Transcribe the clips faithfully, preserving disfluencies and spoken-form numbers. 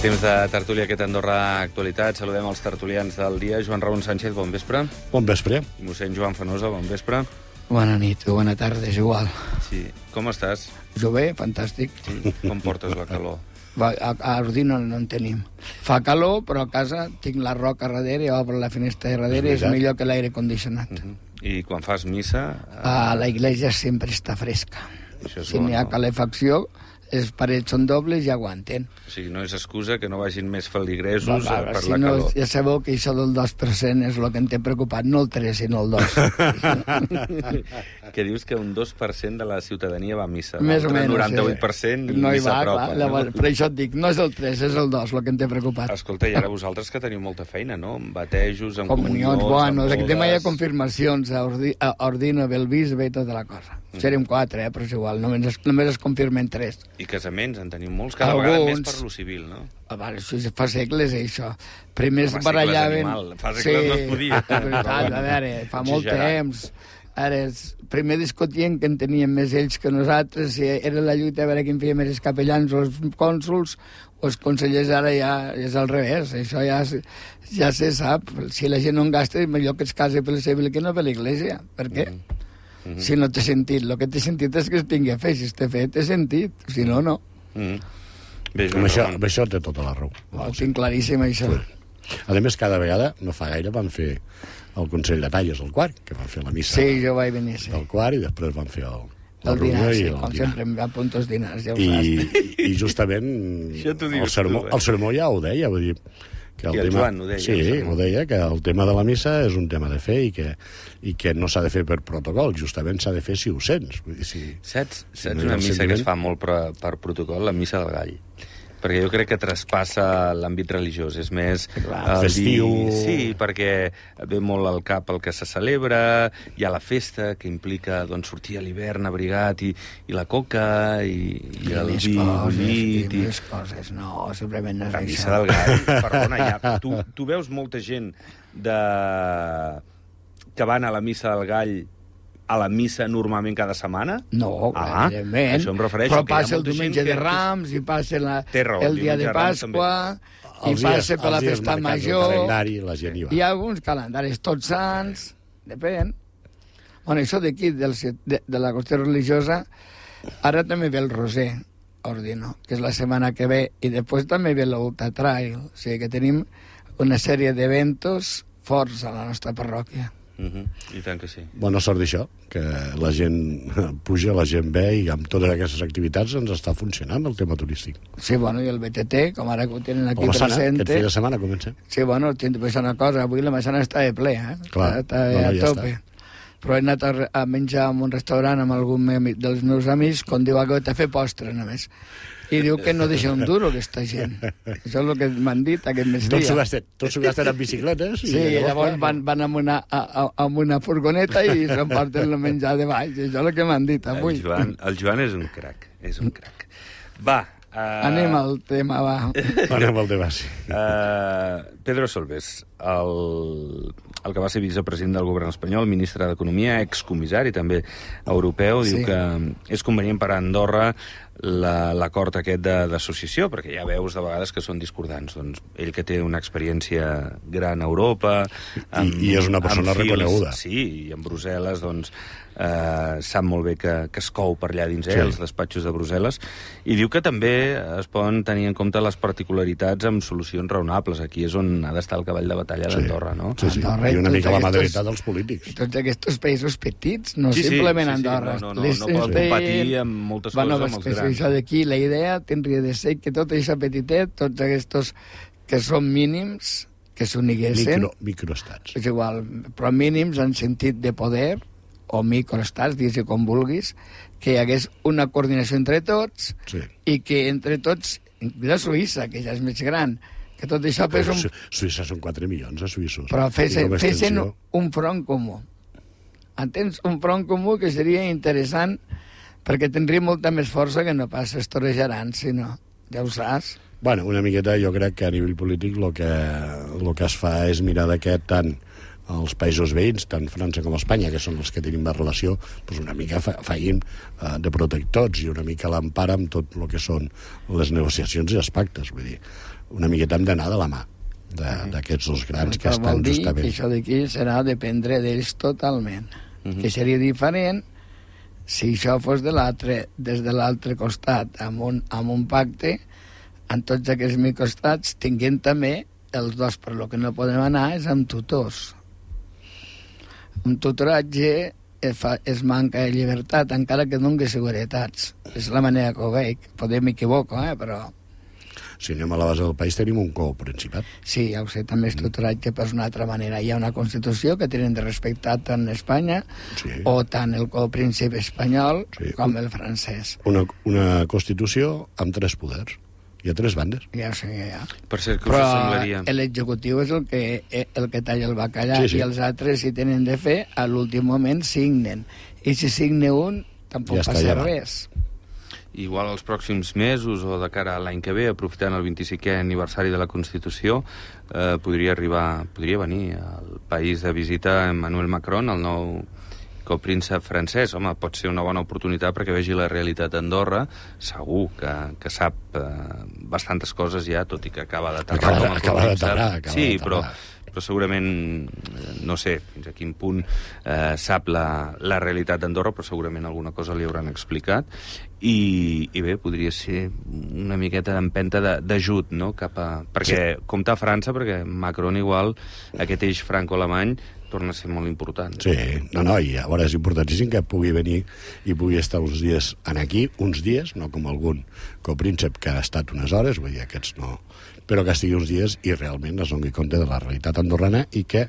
Temps de tertúlia aquest Andorra Actualitat. Saludem els tertulians del dia. Joan Raúl Sánchez, bon vespre. Bon vespre. I mossèn Joan Fenosa, bon vespre. Bona nit o bona tarda, és igual. Sí. Com estàs? Jo bé, fantàstic. Sí. Com portes la calor? Va, a, a Ordino no en tenim. Fa calor, però a casa tinc la roca darrere, obro la finestra de darrere, és, és millor que l'aire condicionat. Uh -huh. I quan fas missa... A... a la iglesia sempre està fresca. Si n'hi ha no? calefacció, les parets són dobles i aguanten. O sigui, no és excusa que no vagin més feligresos va, va, per si la no, calor. Ja sabeu que això del dos per cent és el que em té preocupat, no el tres, sinó el dos. Que dius que un dos per cent de la ciutadania va a missa. Més o menys. El noranta-vuit per cent no hi va, s'apropa. clar, no? Per això et dic, no és el tres, és el dos, el que em té preocupat. Escolta, i ara vosaltres que teniu molta feina, no? Amb batejos, amb comunions, comunions, bueno, amb aquest tema hi ha bodes... confirmacions a, Ordi, a Ordino, Belvisbe i tota la cosa. Mm. Serem quatre, eh, però és igual, només es, només es confirmen tres. I casaments, en tenim molts, cada Alguns... vegada més per lo civil, no? Ah, vale, això fa segles, eh, això. Primer es Home, barallaven... segles fa segles sí, no es podia. és veritat, a veure, fa molt Exagerat. temps. Ara, es, primer discutien que en tenien més ells que nosaltres, si era la lluita a veure quin feia més els capellans o els cònsols o els consellers, ara ja és al revés. Això ja, ja se sap. Si la gent no en gasta, és millor que es case per la civil que no per l'església. Per què? Mm -hmm. Si no té sentit. El que té sentit és que es tingui a fer. Si està fet, té sentit. Si no, no. Mm -hmm. Bé, amb, això, amb això té tota la raó. Ho tinc claríssim, això. Sí. A més, cada vegada, no fa gaire, van fer el Consell de Talles al quart, que van fer la missa sí, jo vaig venir, sí. del quart, i després van fer el, el dinar, sí, i el com dinar. sempre, em apunto els dinars, ja ho I, saps. I justament el sermó, tu, eh? el sermó ja ho deia, vull dir... Que el, el tema, Joan ho deia. Sí, ho deia, que el tema de la missa és un tema de fe i que, i que no s'ha de fer per protocol, justament s'ha de fer si ho sents. Vull dir, si, saps si saps no una missa sentiment... que es fa molt per, per protocol? La missa del gall. Perquè jo crec que traspassa l'àmbit religiós. És més... Clar, festiu... Dir, sí, perquè ve molt al cap el que se celebra, hi ha la festa, que implica doncs, sortir a l'hivern abrigat, i, i la coca, i, i, I el més vi coses, bullit... i I més coses. No, simplement no és la això. missa del gall, perdona, ja. Tu, tu veus molta gent de... que van a la missa del gall a la missa normalment cada setmana? No, ah, evidentment. Això em refereixo. Però que hi ha passa el molta gent diumenge que- de Rams, i passa la, raó, el dia de Pasqua, i Els passa dies- per la els dies festa marcats al major. calendari, la gent hi va. Hi ha alguns calendaris, tots sants, depèn. Bueno, això d'aquí, del, de, de la qüestió religiosa, ara també ve el Roser, Ordino, que és la setmana que ve, i després també ve l'Ultra Trail. O sigui que tenim una sèrie d'eventos forts a la nostra parròquia. Uh -huh. I tant que sí. Bona sort d'això, que la gent puja, la gent ve, i amb totes aquestes activitats ens està funcionant el tema turístic. Sí, bueno, i el B T T, com ara que ho tenen aquí O la Sana, presente... aquest fi de setmana comença. Sí, bueno, tinc de pensar una cosa, avui la Massana està de ple, eh? Clar, està, no, està no, a ja tope. està. Però he anat a, a menjar en un restaurant amb algun dels meus amics, quan diu que t'ha fet postre, només. I diu que no deixa un duro, aquesta gent. Això és el que m'han dit aquest migdia. Tots s'ho gasten, tots s'ho gasten en bicicletes. Sí, i llavors van, van amb, una, a, a, amb una furgoneta i s'emporten el menjar de baix. Això és el que m'han dit avui. El Joan, el Joan és un crac, és un crac. Va. Uh... Anem al tema, va. Anem al tema, sí. Uh, Pedro Solbes, el, el que va ser vicepresident del govern espanyol, ministre d'Economia, excomissari també europeu, sí. Diu que és convenient per a Andorra l'acord la, aquest d'associació, perquè ja veus de vegades que són discordants. Doncs ell que té una experiència gran a Europa... Amb, I, I és una persona fils, reconeguda. Sí, i en Brussel·les, doncs, eh, sap molt bé que, que es cou per allà dins, eh, sí. Els despatxos de Brussel·les, i diu que també es poden tenir en compte les particularitats amb solucions raonables. Aquí és on ha d'estar el cavall de batalla sí. d'Andorra, no? Sí, sí. Andorra, I una mica la mà aquests, dreta dels polítics. Tots aquests països petits, no sí, simplement sí, sí, Andorra. Sí, no, no, no, no poden competir amb moltes bueno, coses amb els grans. Això d'aquí, la idea tindria de ser que tot això petitet, tots aquests que són mínims, que s'uniguessin... Micro, microestats. És igual, però mínims en sentit de poder, o microestats, digues com vulguis, que hi hagués una coordinació entre tots, sí. I que entre tots, inclús Suïssa, que ja és més gran, que tot això fes un... Suïssa són quatre milions de suïssos. Però fessin, fessin un front comú. Entens? Un front comú que seria interessant, perquè tindria molta més força que no pas es torejaran, sinó, ja ho saps. Bueno, una miqueta jo crec que a nivell polític el que, el que es fa és mirar d'aquest tant els països veïns, tant França com Espanya, que són els que tenim més relació, doncs una mica fa, faim uh, de protectors i una mica l'empara amb tot el que són les negociacions i els pactes. Vull dir, una miqueta hem d'anar de la mà d'aquests dos grans que estan justament. justament... Que això d'aquí serà dependre d'ells totalment. Uh -huh. Que seria diferent si això fos de l'altre, des de l'altre costat, amb un, amb un pacte, en tots aquests microcostats, tinguent també els dos, per lo que no podem anar és amb tutors. Amb tutoratge es, fa, es manca de llibertat, encara que doni seguretats. És la manera que ho veig. Podem equivocar, eh, però... Si anem a la base del país tenim un coprincipat. Sí, ja ho sé, també és tutoratge, però és una altra manera. Hi ha una Constitució que tenen de respectar tant Espanya, sí, o tant el copríncip espanyol, sí, com el francès. Una, una Constitució amb tres poders. Hi ha tres bandes. Ja ho sé, ja. Per cert, que però us semblaria... l'executiu és el que, el que talla el bacallà, sí, sí. I els altres, si tenen de fer, a l'últim moment signen. I si signe un, tampoc ja passa res. Igual els pròxims mesos o de cara a l'any que ve, aprofitant el vint-i-cinquè aniversari de la Constitució, eh, podria arribar, podria venir al país de visita Emmanuel Macron, el nou copríncep francès. Home, pot ser una bona oportunitat perquè vegi la realitat d'Andorra. Segur que, que sap eh, bastantes coses ja, tot i que acaba d'aterrar. Acaba, acaba d'aterrar. Sí, però, però segurament, no sé fins a quin punt eh, sap la, la realitat d'Andorra, però segurament alguna cosa li hauran explicat. I, i bé, podria ser una miqueta d'empenta d'ajut, no? Cap a... Perquè sí. Compta a França, perquè Macron igual, aquest eix franco-alemany, torna a ser molt important. Sí, no, no, i a veure, és importantíssim que pugui venir i pugui estar uns dies en aquí, uns dies, no com algun copríncep que ha estat unes hores, vull dir, aquests no, però que estigui uns dies i realment es doni compte de la realitat andorrana i que,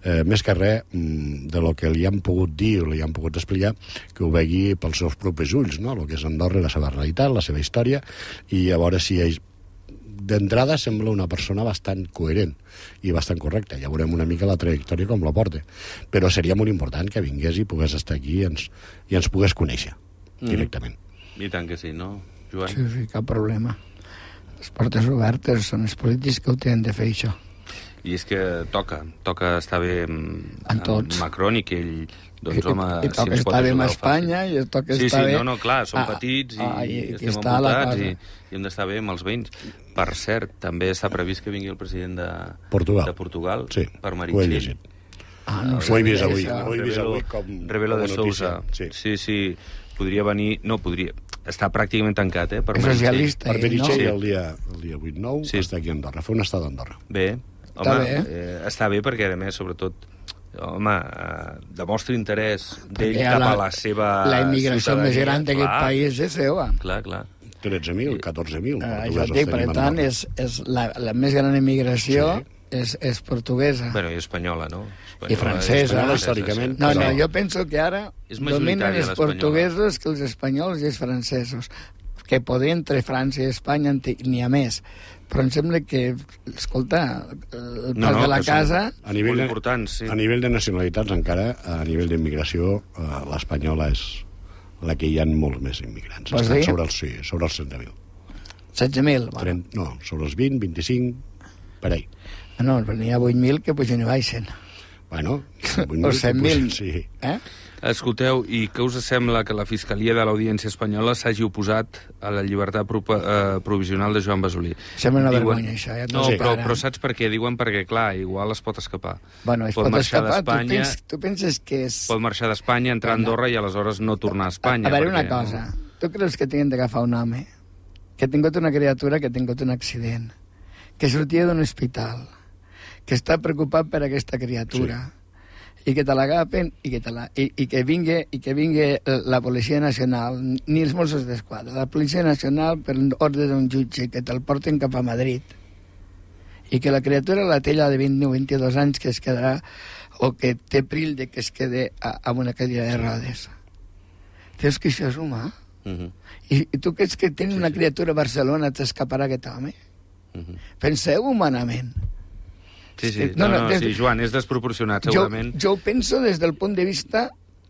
eh, més que res, de lo que li han pogut dir o li han pogut explicar, que ho vegi pels seus propis ulls, no?, el que és Andorra, la seva realitat, la seva història, i a veure si ell d'entrada sembla una persona bastant coherent i bastant correcta. Ja veurem una mica la trajectòria com la porta. Però seria molt important que vingués i pogués estar aquí i ens, i ens pogués conèixer directament. Mm. I tant que sí, no, Joan? Sí, sí, cap problema. Les portes obertes, són els polítics que ho tenen de fer, això. I és que toca, toca estar bé amb, amb Macron i que ell... Doncs, I, home, i toca si estar bé amb Espanya i toca sí, estar sí, bé... No, no, clar, som ah, petits i, ah, i, i estem envoltats i, i hem d'estar bé amb els veïns. Per cert, també està previst que vingui el president de Portugal, de Portugal sí, per Meritxell. Ah, no ho he vist avui. Ho he vist avui com, Rebelo de Sousa. Sí. sí, sí, podria venir... No, podria... Està pràcticament tancat, eh, per Meritxell. Per Meritxell no? el dia, el dia vuit nou sí. està aquí a Andorra. Fa una estada a Andorra. Bé, home, està bé, eh, està bé perquè, a més, sobretot... home, eh, demostra interès d'ell cap a la seva la immigració més gran d'aquest país és seva. Clar, clar. tretze mil, catorze mil. Uh, jo dic, per tant, és, és la, la més gran immigració sí. és, és portuguesa. Bueno, i espanyola, no? Espanyola, I francesa. Espanyola, històricament. No, no, jo penso que ara dominen els portuguesos que els espanyols i els francesos. Que poder entre França i Espanya n'hi ha més. Però em sembla que, escolta, el pas no, no, de la casa... A nivell, de, sí. a nivell de nacionalitats, encara, a nivell d'immigració, eh, l'espanyola és la que hi ha molts més immigrants. Vols dir? Sobre els, sí, sobre els setze mil. setze mil? Bueno. No, sobre els vint, vint-i-cinc, per ahí. No, n'hi ha vuit mil que pugen i baixen. Bueno, o set mil. Sí. Eh? Escolteu, i què us sembla que la Fiscalia de l'Audiència Espanyola s'hagi oposat a la llibertat pro eh, provisional de Joan Basolí? Sembla una Diuen... vergonya, això. Ja no, sí. però, però saps per què? Diuen perquè, clar, igual es pot escapar. Bueno, es pot, pot escapar. Tu, pens, tu penses que és... Pot marxar d'Espanya, entrar a Andorra i aleshores no tornar a Espanya. A, a veure perquè... una cosa. Tu creus que tenen d'agafar un home que ha tingut una criatura que ha tingut un accident, que sortia d'un hospital, que està preocupat per aquesta criatura... Sí. i que te l'agafen i que, te la, i, i que vingui i que vingui la Policia Nacional, ni els Mossos d'Esquadra, la Policia Nacional per ordre d'un jutge, que te'l porten cap a Madrid, i que la criatura, la tella de vint o vint-i-dos anys, que es quedarà, o que té perill de que es quede a, amb una cadira de rodes. Creus que això és humà? Uh-huh. I, I tu creus que tens sí, una criatura a Barcelona, t'escaparà aquest home? Uh-huh. Penseu humanament. Sí, sí. No, no, no, des... sí, Joan, és desproporcionat, segurament. Jo, jo ho penso des del punt de vista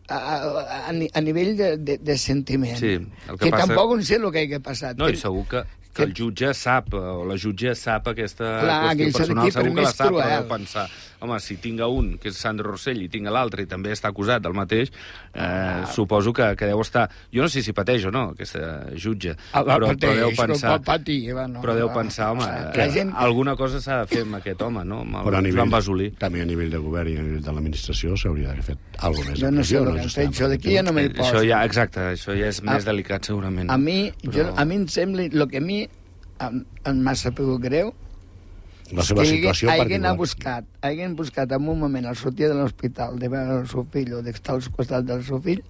a, a, a nivell de, de, de sentiment. Sí, el que, que passa... tampoc no sé el que ha passat. No, i segur que... que el jutge sap, o la jutge sap aquesta Clar, qüestió personal, segur que la sap, cruel. però deu pensar, home, si tinc un, que és Sandro Rossell, i tinc l'altre, i també està acusat del mateix, eh, ah. suposo que, que deu estar... Jo no sé si pateix o no, aquesta jutge, ah, però, pateix, però deu pensar... Patir, no, però deu pensar, home, la gent... alguna cosa s'ha de fer amb aquest home, no? Amb el però a nivell, Joan Basolí. també a nivell de govern i a nivell de l'administració s'hauria d'haver fet alguna més. Jo no sé el que han fet, això d'aquí ja no m'hi poso. Això ja, exacte, això ja és més a, delicat, segurament. A mi, però... jo, a mi em sembla, el que a mi em, em m'ha sabut greu, la seva que situació haguen particular. buscat, haguen buscat en un moment al sortir de l'hospital de veure el seu fill o d'estar al costat del seu fill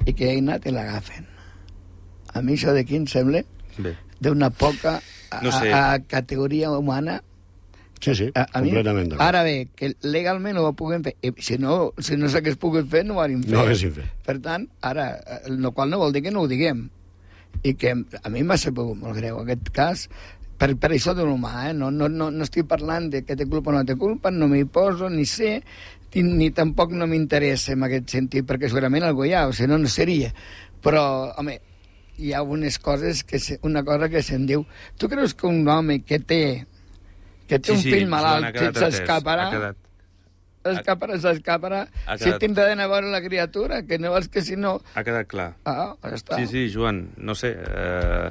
i que hagin anat i l'agafen. A mi això d'aquí em sembla d'una poca a, no sé. a, a categoria humana. Sí, sí, a, a completament. Mi, ara bé, que legalment ho puguem fer. I si no, si no s'hagués pogut fer, no ho hauríem fet. No haguéssim fet. Per tant, ara, el qual no vol dir que no ho diguem. I que a mi m'ha sabut molt greu aquest cas, per, per això d'un humà, eh? No, no, no, no estic parlant de que té culpa o no té culpa, no m'hi poso, ni sé, ni, ni tampoc no m'interessa en aquest sentit, perquè segurament algú hi ha, o sigui, no, no seria. Però, home, hi ha unes coses, que se, una cosa que se'n diu... Tu creus que un home que té que té sí, un fill sí, malalt s'escaparà? S'escaparà, s'escaparà. Si tindrà d'anar a veure la criatura, que no vols que si no... Ha quedat clar. Ah, ja està. Sí, sí, Joan, no sé, eh,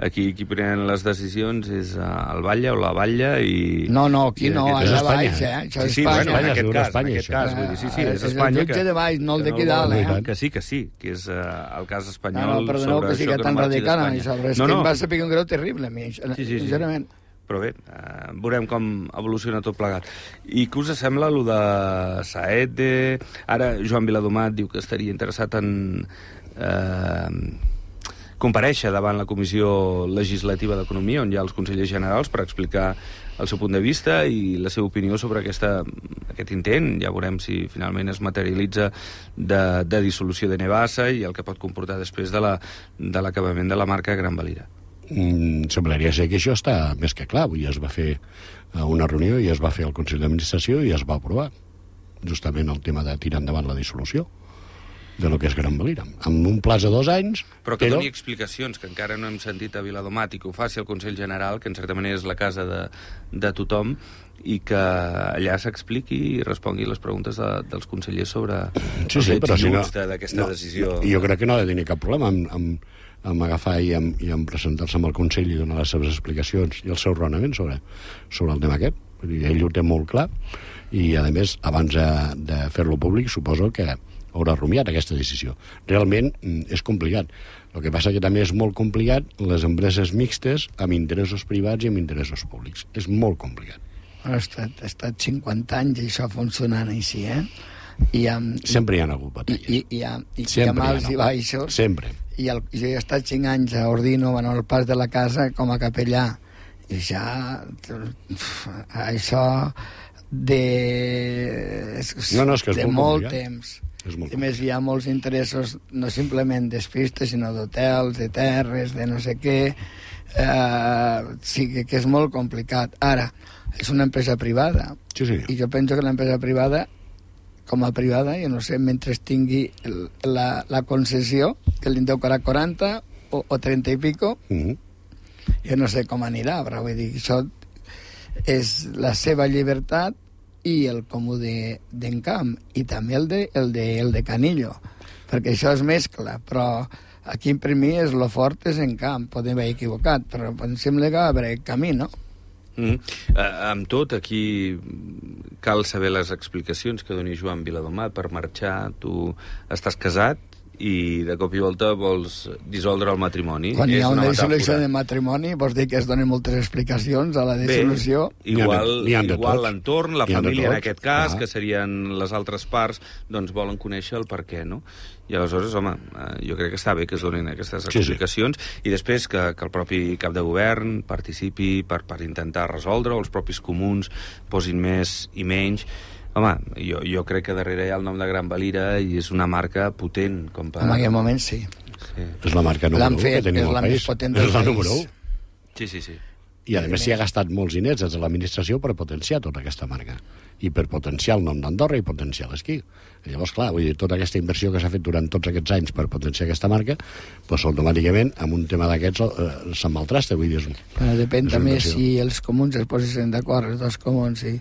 aquí qui pren les decisions és el Batlle o la Batlle i... No, no, aquí no, és allà Espanya. baix, eh? Això sí, sí, és Espanya. bueno, en aquest cas, Espanya, en aquest cas, vull dir, sí, sí, és Espanya. És el jutge de baix, no el d'aquí dalt, eh? Que sí, que sí, que és uh, el cas espanyol. No, no, perdoneu que sigui tan radical, això, però és que em va saber un greu terrible, a mi, sincerament. Però bé, eh, veurem com evoluciona tot plegat. I què us sembla, allò de Saete? Ara Joan Viladomat diu que estaria interessat en eh, comparèixer davant la Comissió Legislativa d'Economia, on hi ha els consellers generals, per explicar el seu punt de vista i la seva opinió sobre aquesta, aquest intent. Ja veurem si finalment es materialitza de, de dissolució de Nevasa i el que pot comportar després de l'acabament la, de la marca Gran Valira. Mm, semblaria ser que això està més que clar. Avui es va fer una reunió i es va fer el Consell d'Administració i es va aprovar justament el tema de tirar endavant la dissolució de lo que és Gran Valira. Amb un plaç de dos anys... Però que però... doni explicacions, que encara no hem sentit a Viladomat, i que ho faci el Consell General, que en certa manera és la casa de, de tothom, i que allà s'expliqui i respongui les preguntes de, dels consellers sobre sí, els sí, però si no, d'aquesta no, decisió. Jo crec que no ha de tenir cap problema amb, amb, amb agafar i amb, i amb presentar-se amb el Consell i donar les seves explicacions i el seu raonament sobre, sobre el tema aquest. Vull dir, ell ho té molt clar i, a més, abans de, de fer-lo públic, suposo que haurà rumiat aquesta decisió. Realment és complicat. El que passa que també és molt complicat les empreses mixtes amb interessos privats i amb interessos públics. És molt complicat. Ha estat, ha estat cinquanta anys i això funcionant així, eh? I amb, sempre hi ha hagut batalles. I, i, i, i, i amb alts i baixos. Sempre. I el, jo he estat cinc anys a Ordino, bueno, al pas de la casa, com a capellà. I ja... Això de... No, no, és que és de molt, molt complicat. temps. És molt a més, hi ha molts interessos, no simplement d'espistes, sinó d'hotels, de terres, de no sé què. Eh, sí, que, que és molt complicat. Ara, és una empresa privada. Sí, sí. I jo penso que l'empresa privada, com a privada, jo no sé, mentre tingui el, la, la concessió, que li en deu quaranta o, o trenta i pico, uh -huh. jo no sé com anirà, però vull dir, això és la seva llibertat i el comú d'Encamp, i també el de, el, de, el de Canillo, perquè això es mescla, però aquí per mi és lo fort és Encamp, podem haver equivocat, però em sembla que va haver camí, no? Mm. Uh, amb tot, aquí cal saber les explicacions que doni Joan Viladomat per marxar. Tu estàs casat i de cop i volta vols dissoldre el matrimoni. Quan hi ha és una, una dissolució metàfora. de matrimoni, vols dir que es donen moltes explicacions a la dissolució? Bé, igual, igual l'entorn, la família en tot. aquest cas, ah. que serien les altres parts, doncs volen conèixer el per què, no? I aleshores, home, jo crec que està bé que es donin aquestes explicacions, sí, sí. I després que, que el propi cap de govern participi per, per intentar resoldre, o els propis comuns posin més i menys. Home, jo, jo crec que darrere hi ha el nom de Gran Valira i és una marca potent. Com per... En aquell moment sí. sí. És la marca número u que tenim al país. És la més potent del és la número u. Sí, sí, sí. I, a més, s'hi ha gastat molts diners des de l'administració per potenciar tota aquesta marca. I per potenciar el nom d'Andorra i potenciar l'esquí. I llavors, clar, vull dir, tota aquesta inversió que s'ha fet durant tots aquests anys per potenciar aquesta marca, doncs automàticament, amb un tema d'aquests, eh, se'n maltrasta. Vull dir, és, Però depèn és també inversió. si els comuns es posessin d'acord, els dos comuns, i,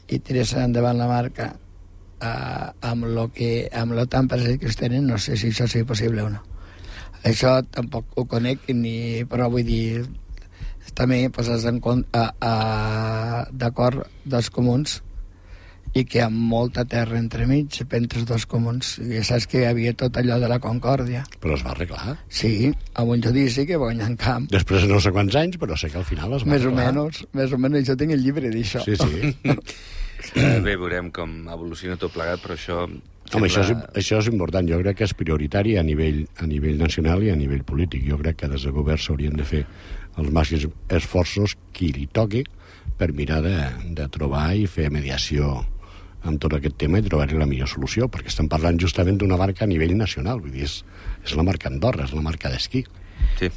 i tiressin endavant la marca eh, amb lo que amb lo tan present que es tenen, no sé si això sigui possible o no. Això tampoc ho conec, ni, però vull dir, també poses en compte a, a, d'acord dos comuns i que amb molta terra entremig entre els dos comuns, i saps que hi havia tot allò de la Concòrdia. Però es va arreglar. Sí, amb un judici que va guanyar en camp. Després de no sé quants anys, però sé que al final es va Més o arreglar. menys, més o menys, jo tinc el llibre d'això. Sí, sí. Eh, bé, veurem com evoluciona tot plegat, però això... Home, això és, això és important. Jo crec que és prioritari a nivell, a nivell nacional i a nivell polític. Jo crec que des del govern s'haurien de fer els màxims esforços qui li toqui per mirar de, de trobar i fer mediació amb tot aquest tema i trobar-hi la millor solució, perquè estem parlant justament d'una marca a nivell nacional. Vull dir, és, és la marca Andorra, és la marca d'esquí. Sí.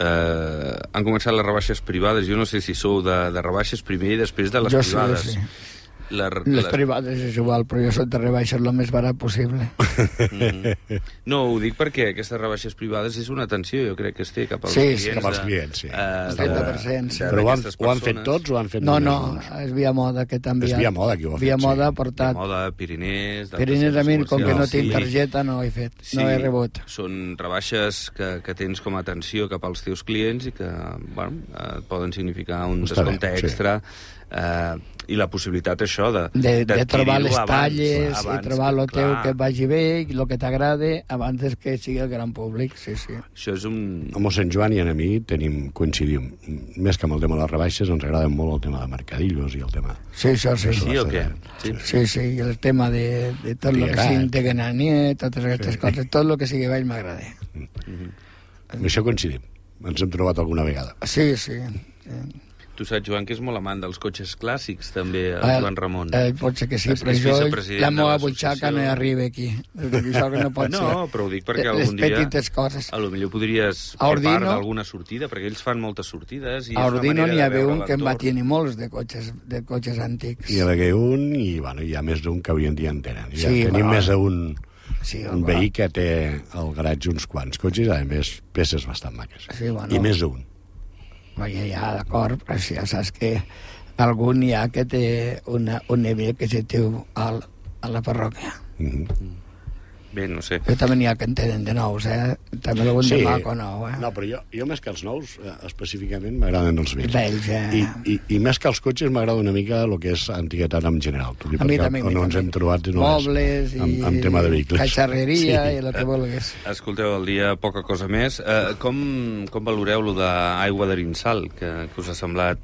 Uh, han començat les rebaixes privades. Jo no sé si sou de, de rebaixes primer i després de les Jo privades. sí, sí. La, Les la... privades és igual, però jo soc de rebaixar el més barat possible. Mm. No, ho dic perquè aquestes rebaixes privades és una atenció, jo crec que es té cap als Sí, clients. sí, cap als de- clients, sí. eh, El de- trenta per cent, sí. de- Però ho han, d'aquestes ho han fet persones. tots o ho han fet No, només no, uns? és Via Moda que t'ha enviat. És Via Moda qui ho ha fet, Via Moda sí. ha portat. De moda, Pirinès... d'altres Pirinès a mi, centres com que no comercials. tinc Sí. targeta, no ho he fet. Sí, No he rebut. són rebaixes que, que tens com a atenció cap als teus clients i que bueno, eh, poden significar un Està bé, descompte sí. extra eh, i la possibilitat, això, de, De, de trobar d'adquirir-ho les abans, talles abans, i trobar el teu clar. que et vagi bé i el que t'agrada abans que sigui el gran públic, sí, sí. Això és un... A mossèn Joan i a mi tenim, coincidim. Més que amb el tema de les rebaixes, ens agrada molt el tema de mercadillos i el tema... Sí, això sí. Sí o què? Sí. Sí, sí, i el tema de, de tot el que Triguerat. sigui de Gananier, totes aquestes Sí. coses, tot el que sigui baix m'agrada. Amb això coincidim. Ens hem trobat alguna vegada. Sí, sí. sí. Tu saps, Joan, que és molt amant dels cotxes clàssics, també, el Eh, Joan Ramon. Eh, pot ser que sí, És- però és jo, vicepresident la de meva l'associació. butxaca no hi arriba aquí. Això que no pot No, ser. però ho dic perquè Les algun dia... petites coses. A lo millor podries A fer Ordino- part d'alguna sortida, perquè ells fan moltes sortides. I A és una Ordino manera n'hi de havia veure un que en va l'entorn. tenir molts de cotxes, de cotxes antics. Hi ha un i, bueno, hi ha més d'un que avui en dia en tenen. Ja Sí, tenim però- més d'un Sí, un clar. veí que té al garatge uns quants cotxes, a més, peces bastant maques. Sí, bueno. I més d'un. Vaja, ja, d'acord, però si ja saps que algun hi ha que té una, un nivell que se diu al, a la parròquia. Mm -hmm. Bé, no sé. Jo també n'hi ha que en tenen de nous, eh? També algun de maco nou, eh? No, però jo, jo més que els nous, eh, específicament, m'agraden els vells. Vells, eh? I, i, I més que els cotxes, m'agrada una mica el que és antiguitat en general. Tu, A mi perquè també, a mi on ens també. hem trobat no Mobles és, i amb, amb tema de vehicles. catxarreria Sí. i el que vulguis. Escolteu, el dia poca cosa més. Uh, com, com valoreu lo d'aigua d'Arinsal, que, que us ha semblat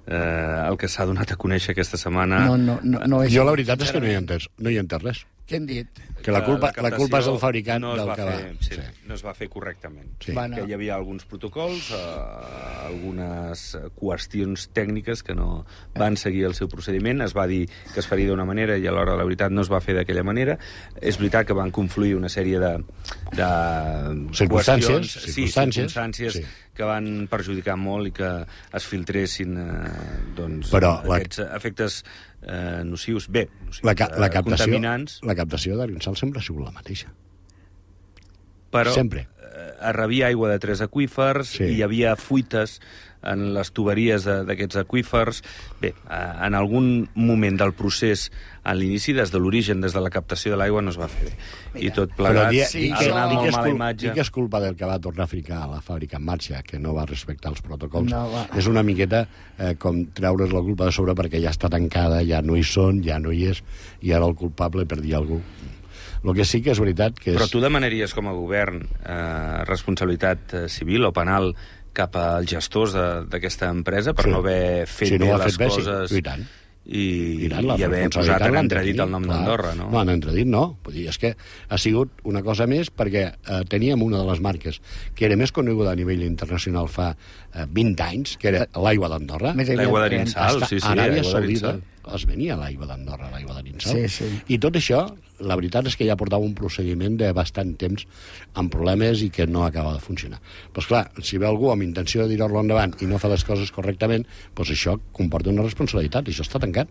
eh, el que s'ha donat a conèixer aquesta setmana? No, no, no, no és... Jo la veritat és que no hi he entès, no hi he entès res. Què han dit? Que la culpa, la, culpa és del fabricant no es del va que fer, va. sí, no es va fer correctament. Sí. Bueno. Que hi havia alguns protocols, eh, algunes qüestions tècniques que no van seguir el seu procediment. Es va dir que es faria d'una manera i a l'hora de la veritat no es va fer d'aquella manera. És veritat que van confluir una sèrie de, de Circumstàncies, qüestions, sí, circumstàncies, circumstàncies sí. que van perjudicar molt i que es filtressin eh, doncs, Però la- aquests efectes eh, nocius. Bé, nocius, La, ca, la eh, captació, contaminants. la captació d'Arinsal sempre ha sigut la mateixa. Però Sempre. eh, es rebia aigua de tres aqüífers, Sí. i hi havia fuites en les tuberies de- d'aquests aqüífers. Bé, eh, en algun moment del procés, a l'inici, des de l'origen, des de la captació de l'aigua, no es va fer bé. I tot plegat Però di, sí, di, ha que, donat di, que molt és mala cul, imatge. di que és culpa del que va tornar a ficar la fàbrica en marxa, que no va respectar els protocols. No va. És una miqueta eh, com treure's la culpa de sobre perquè ja està tancada, ja no hi són, ja no hi és, i ara el culpable per dir alguna cosa. El que sí que és veritat que és... Però tu demanaries com a govern eh, responsabilitat eh, civil o penal cap als gestors de- d'aquesta empresa per Sí. no haver fet Si no bé ho ha les fet bé, sí. coses I tant. i, I, tant, la i haver responsabilitat posat en l'han de entredit tenir, el nom clar. d'Andorra, no? No, en entredit no. Vull dir, és que ha sigut una cosa més perquè eh, teníem una de les marques que era més coneguda a nivell internacional fa eh, vint anys, que era l'aigua d'Andorra. Més aviat L'aigua trenta. d'Arinsal, Està sí, sí, a Aràbia l'aigua Saudita d'Arinsal. es venia l'aigua d'Andorra, l'aigua d'Arinsal. Sí, sí. I tot això la veritat és que ja portava un procediment de bastant temps amb problemes i que no acaba de funcionar. Però, esclar, si ve algú amb intenció de tirar-lo endavant i no fa les coses correctament, doncs això comporta una responsabilitat, i això està tancat.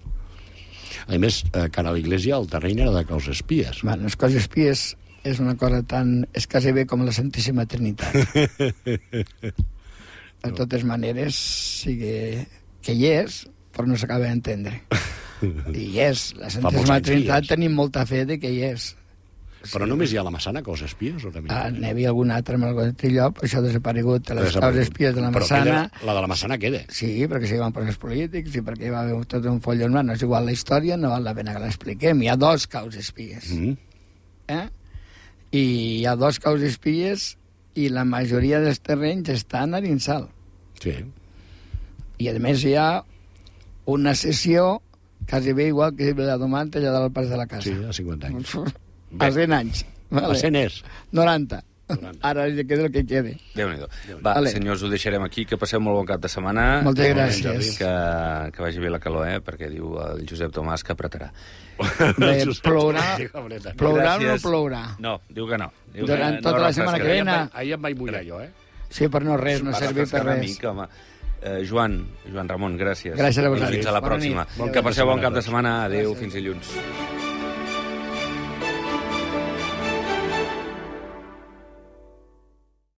A més, eh, cara a l'Iglésia, el terreny era de causes espies. Bueno, les causes espies és una cosa tan... és quasi bé com la Santíssima Trinitat. De totes maneres, sí que, que hi és, però no s'acaba d'entendre. I hi és. La Santíssima Trinitat tenim molta fe de que hi és. Però sí. Només hi ha la Massana, causes espies? O també ah, n'hi havia algun altre amb algun altre lloc, això ha desaparegut, les causes espies de la Massana. Però la de la Massana queda. Sí, perquè s'hi van posar polítics i perquè hi va haver tot un follon. No és igual la història, no val la pena que l'expliquem. Hi ha dos causes espies. Mm -hmm. eh? I hi ha dos causes espies i la majoria dels terrenys estan a l'Insal. Sí. I, a més, hi ha una sessió quasi bé igual que la Domanta allà del pas de la casa. Sí, a cinquanta anys. A cent anys. Vale. A cent és. noranta. noranta. Ara ja queda el que quede. Déu-n'hi-do. Va, vale. Senyors, ho deixarem aquí, que passeu molt bon cap de setmana. Moltes gràcies. Que, que vagi bé la calor, eh? Perquè diu el Josep Tomàs que apretarà. Bé, plourà, plourà o no plourà? No, diu que no. Diu Durant que tota no la setmana que ve. Ahir em vaig mullar jo, eh? Sí, però no res, no serveix per res. Mica, home. Uh, Joan, Joan Ramon, gràcies. Gràcies a vosaltres. I fins a la pròxima. Que passeu bon cap de setmana. Adéu, fins dilluns.